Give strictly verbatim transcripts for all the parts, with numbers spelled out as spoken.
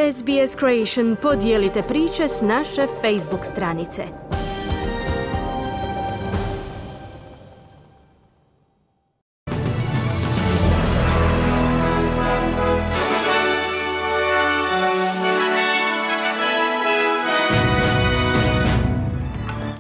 S B S Creation podijelite priče s naše Facebook stranice.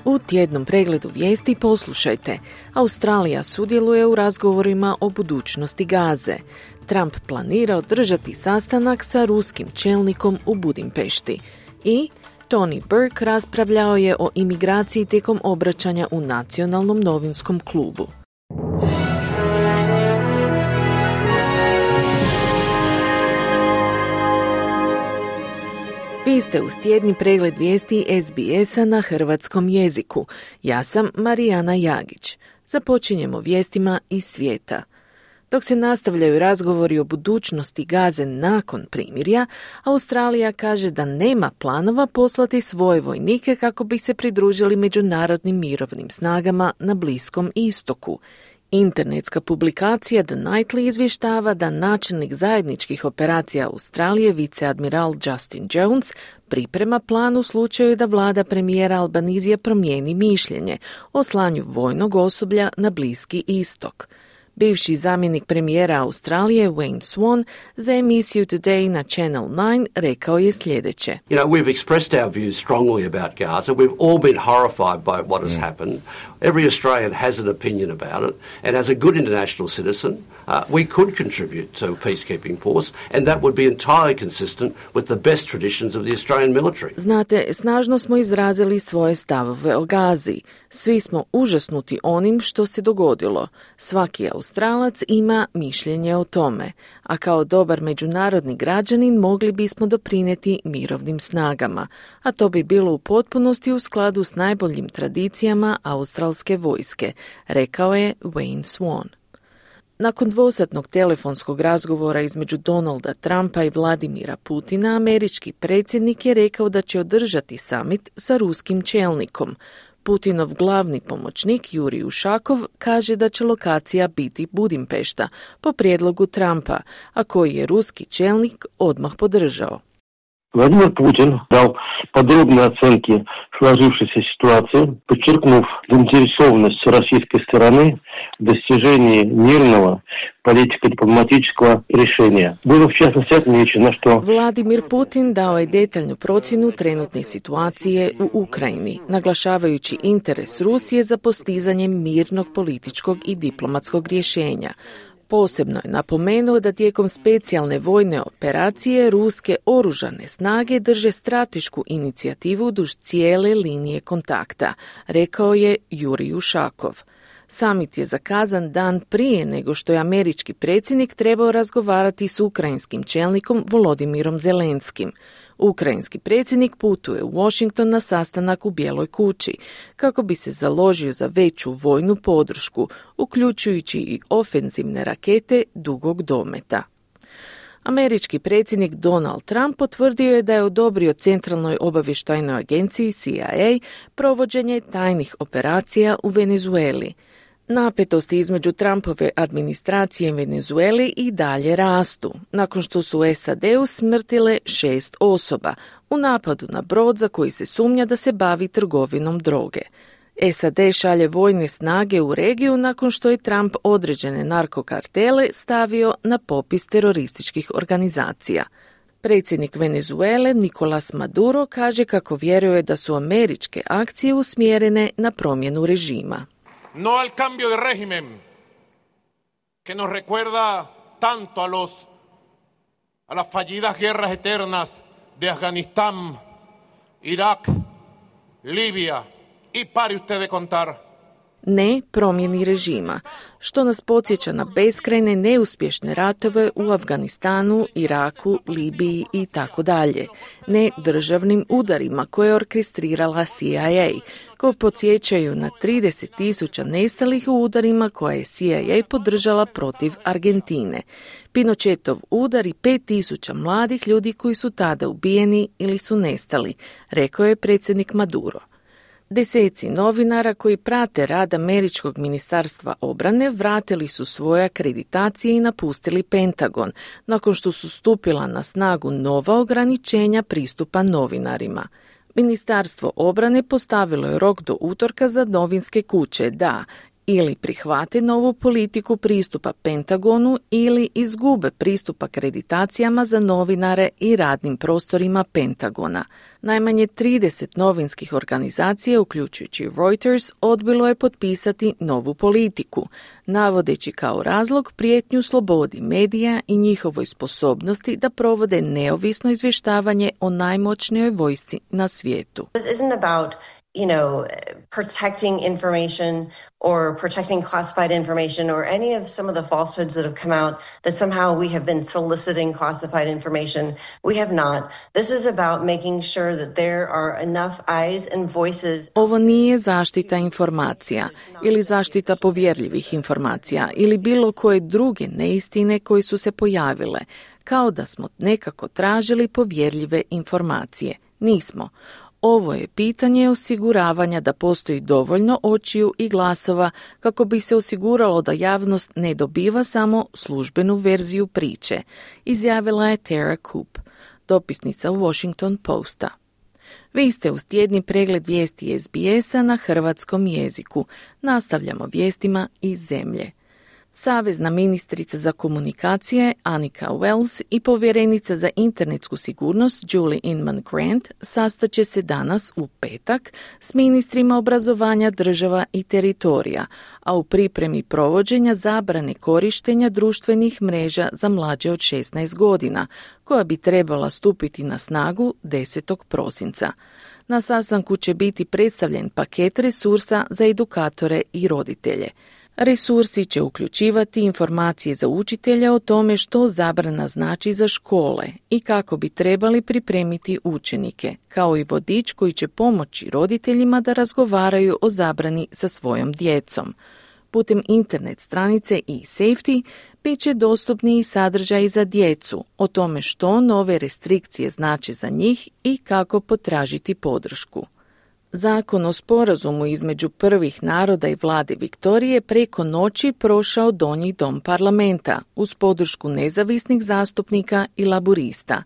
U tjednom pregledu vijesti poslušajte. Australija sudjeluje u razgovorima o budućnosti Gaze. Trump planira održati sastanak sa ruskim čelnikom u Budimpešti. I Tony Burke raspravljao je o imigraciji tijekom obraćanja u Nacionalnom novinskom klubu. Vi ste uz tjedni pregled vijesti S B S-a na hrvatskom jeziku. Ja sam Marijana Jagić. Započinjemo vijestima iz svijeta. Dok se nastavljaju razgovori o budućnosti Gaze nakon primirja, Australija kaže da nema planova poslati svoje vojnike kako bi se pridružili međunarodnim mirovnim snagama na Bliskom istoku. Internetska publikacija The Nightly izvještava da načelnik zajedničkih operacija Australije, viceadmiral Justin Jones, priprema plan u slučaju da vlada premijera Albanizija promijeni mišljenje o slanju vojnog osoblja na Bliski istok. Bivši zamjenik premijera Australije Wayne Swan za emisiju Today na Channel nine rekao je sljedeće. You know, we've expressed our views strongly about Gaza. We've all been horrified by what has happened. Every Australian has an opinion about it, and as a good international citizen, uh, we could contribute to a peacekeeping force, and that would be entirely consistent with the best traditions of the Australian military. Znate, snažno smo izrazili svoje stavove o Gazi. Svi smo užasnuti onim što se dogodilo. Svaki Australac ima mišljenje o tome, a kao dobar međunarodni građanin mogli bismo doprinijeti mirovnim snagama, a to bi bilo u potpunosti u skladu s najboljim tradicijama australske vojske, rekao je Wayne Swan. Nakon dvosatnog telefonskog razgovora između Donalda Trumpa i Vladimira Putina, američki predsjednik je rekao da će održati summit sa ruskim čelnikom. Putinov glavni pomoćnik Jurij Ušakov kaže da će lokacija biti Budimpešta po prijedlogu Trumpa, a koji je ruski čelnik odmah podržao. Владимир Путин дал подробные оценки сложившейся ситуации, подчеркнув заинтересованность российской стороны в достижении мирного политико-дипломатического решения. Было в частности отмечено, что Vladimir Putin dao je detaljnu procjenu trenutne situacije u Ukrajini, naglašavajući interes Rusije za postizanjem mirnog političkog i diplomatskog rješenja. Posebno je napomenuo da tijekom specijalne vojne operacije ruske oružane snage drže stratešku inicijativu duž cijele linije kontakta, rekao je Jurij Ušakov. Samit je zakazan dan prije nego što je američki predsjednik trebao razgovarati s ukrajinskim čelnikom Volodimirom Zelenskim. Ukrajinski predsjednik putuje u Washington na sastanak u Bijeloj kući kako bi se založio za veću vojnu podršku, uključujući i ofenzivne rakete dugog dometa. Američki predsjednik Donald Trump potvrdio je da je odobrio Centralnoj obavještajnoj agenciji C I A provođenje tajnih operacija u Venezueli. Napetosti između Trumpove administracije i Venezueli i dalje rastu, nakon što su u S A D-u smrtile šest osoba u napadu na brod za koji se sumnja da se bavi trgovinom droge. S A D šalje vojne snage u regiju nakon što je Trump određene narkokartele stavio na popis terorističkih organizacija. Predsjednik Venezuele Nicolás Maduro kaže kako vjeruje da su američke akcije usmjerene na promjenu režima. No al cambio de régimen que nos recuerda tanto a los a las fallidas guerras eternas de Afganistán, Irak, Libia y pare usted de contar. Ne promjeni režima, što nas podsjeća na beskrajne neuspješne ratove u Afganistanu, Iraku, Libiji i tako dalje. Ne državnim udarima koje je orkestrirala C I A, koji podsjećaju na trideset tisuća nestalih u udarima koje je C I A podržala protiv Argentine. Pinochetov udar i pet tisuća mladih ljudi koji su tada ubijeni ili su nestali, rekao je predsjednik Maduro. Deseci novinara koji prate rad Američkog ministarstva obrane vratili su svoje akreditacije i napustili Pentagon, nakon što su stupila na snagu nova ograničenja pristupa novinarima. Ministarstvo obrane postavilo je rok do utorka za novinske kuće da ili prihvate novu politiku pristupa Pentagonu ili izgube pristup akreditacijama za novinare i radnim prostorima Pentagona. Najmanje trideset novinskih organizacija, uključujući Reuters, odbilo je potpisati novu politiku, navodeći kao razlog prijetnju slobodi medija i njihovoj sposobnosti da provode neovisno izvještavanje o najmoćnijoj vojsci na svijetu. This isn't about you know, protecting information or protecting classified information or any of some of the falsehoods that have come out that somehow we have been soliciting classified information. We have not. This is about making sure that there are enough eyes and voices. Ovo nije zaštita informacija ili zaštita povjerljivih informacija ili bilo koje druge neistine koje su se pojavile, kao da smo nekako tražili povjerljive informacije. Nismo. Ovo je pitanje osiguravanja da postoji dovoljno očiju i glasova kako bi se osiguralo da javnost ne dobiva samo službenu verziju priče, izjavila je Tara Coop, dopisnica Washington Posta. Vi ste uz tjedni pregled vijesti S B S-a na hrvatskom jeziku. Nastavljamo vijestima iz zemlje. Savezna ministrica za komunikacije Annika Wells i povjerenica za internetsku sigurnost Julie Inman Grant sastaće se danas u petak s ministrima obrazovanja država i teritorija, a u pripremi provođenja zabrane korištenja društvenih mreža za mlađe od šesnaest godina, koja bi trebala stupiti na snagu desetog prosinca. Na sastanku će biti predstavljen paket resursa za edukatore i roditelje. Resursi će uključivati informacije za učitelja o tome što zabrana znači za škole i kako bi trebali pripremiti učenike, kao i vodič koji će pomoći roditeljima da razgovaraju o zabrani sa svojom djecom. Putem internet stranice e-Safety bit će dostupni i sadržaji za djecu o tome što nove restrikcije znači za njih i kako potražiti podršku. Zakon o sporazumu između prvih naroda i vlade Viktorije preko noći prošao donji dom parlamenta uz podršku nezavisnih zastupnika i laburista.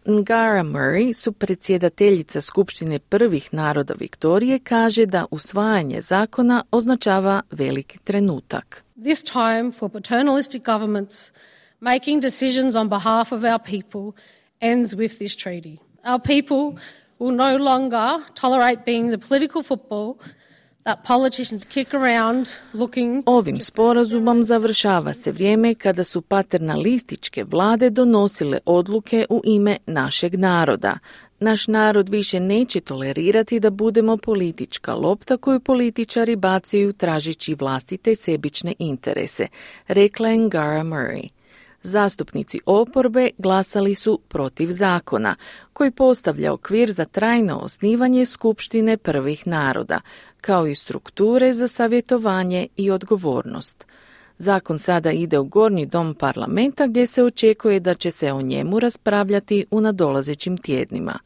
Ngara Murray, su predsjedateljica Skupštine prvih naroda Viktorije, kaže da usvajanje zakona označava veliki trenutak. This time for paternalistic governments making decisions on behalf of our people ends with this treaty. Our people will no longer tolerate being the political football that politicians kick around looking. Ovim sporazumom završava se vrijeme kada su paternalističke vlade donosile odluke u ime našeg naroda. Naš narod više neće tolerirati da budemo politička lopta koju političari bacaju tražeći vlastite sebične interese, rekla je Ngara Murray. Zastupnici oporbe glasali su protiv zakona, koji postavlja okvir za trajno osnivanje Skupštine prvih naroda, kao i strukture za savjetovanje i odgovornost. Zakon sada ide u gornji dom parlamenta gdje se očekuje da će se o njemu raspravljati u nadolazećim tjednima.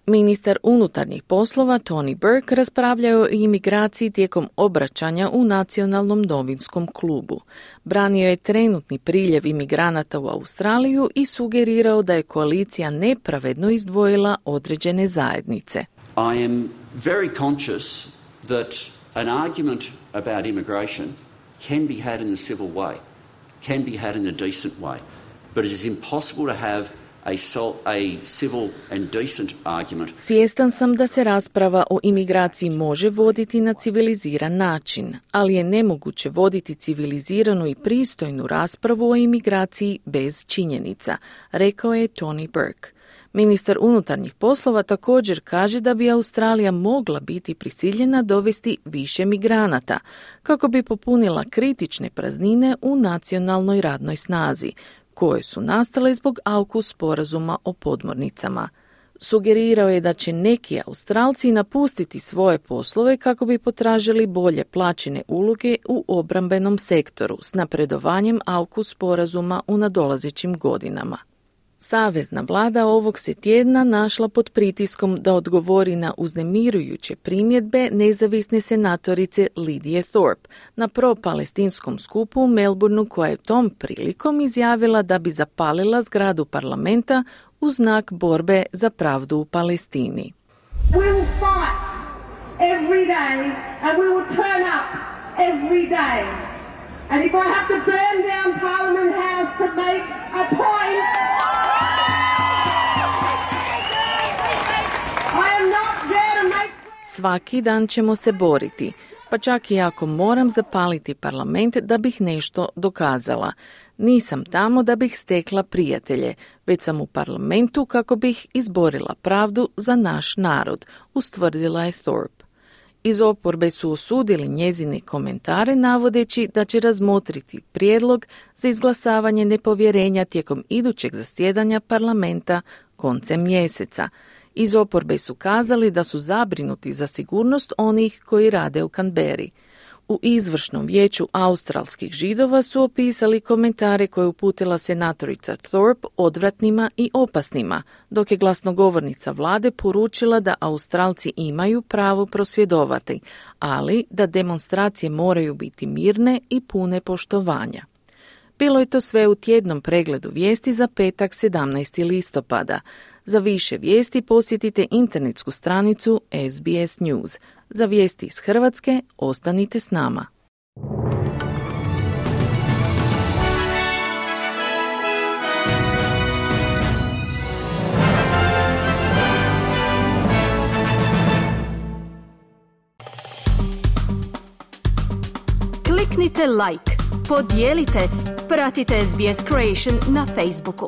Ministar unutarnjih poslova Tony Burke raspravljao o imigraciji tijekom obraćanja u Nacionalnom novinskom klubu. Branio je trenutni priljev imigranata u Australiju i sugerirao da je koalicija nepravedno izdvojila određene zajednice. I am very conscious that an argument about immigration can be had in a civil way, can be had in a decent way, but it is impossible to have A, sol, a civil and decent argument. Svjestan sam da se rasprava o imigraciji može voditi na civiliziran način, ali je nemoguće voditi civiliziranu i pristojnu raspravu o imigraciji bez činjenica, rekao je Tony Burke. Ministar unutarnjih poslova također kaže da bi Australija mogla biti prisiljena dovesti više migranata, kako bi popunila kritične praznine u nacionalnoj radnoj snazi, koje su nastale zbog AUKUS sporazuma o podmornicama. Sugerirao je da će neki Australci napustiti svoje poslove kako bi potražili bolje plaćene uloge u obrambenom sektoru s napredovanjem AUKUS sporazuma u nadolazećim godinama. Savezna vlada ovog se tjedna našla pod pritiskom da odgovori na uznemirujuće primjedbe nezavisne senatorice Lidije Thorpe na pro-palestinskom skupu u Melbourneu, koja je tom prilikom izjavila da bi zapalila zgradu parlamenta u znak borbe za pravdu u Palestini. We will fight every day and we will turn up every day. And if I have to burn down Parliament House to make a point, I am not there to make... Svaki dan ćemo se boriti, pa čak i ako moram zapaliti parlament da bih nešto dokazala. Nisam tamo da bih stekla prijatelje, već sam u parlamentu kako bih izborila pravdu za naš narod, ustvrdila je Thorpe. Iz oporbe su osudili njezine komentare navodeći da će razmotriti prijedlog za izglasavanje nepovjerenja tijekom idućeg zasjedanja parlamenta koncem mjeseca. Iz oporbe su kazali da su zabrinuti za sigurnost onih koji rade u Canberri. U izvršnom vijeću australskih Židova su opisali komentare koje uputila senatorica Thorpe odvratnima i opasnima, dok je glasnogovornica vlade poručila da Australci imaju pravo prosvjedovati, ali da demonstracije moraju biti mirne i pune poštovanja. Bilo je to sve u tjednom pregledu vijesti za petak sedamnaestog listopada. Za više vijesti posjetite internetsku stranicu S B S News. Za vijesti iz Hrvatske ostanite s nama. Kliknite like, podijelite, pratite S B S Creation na Facebooku.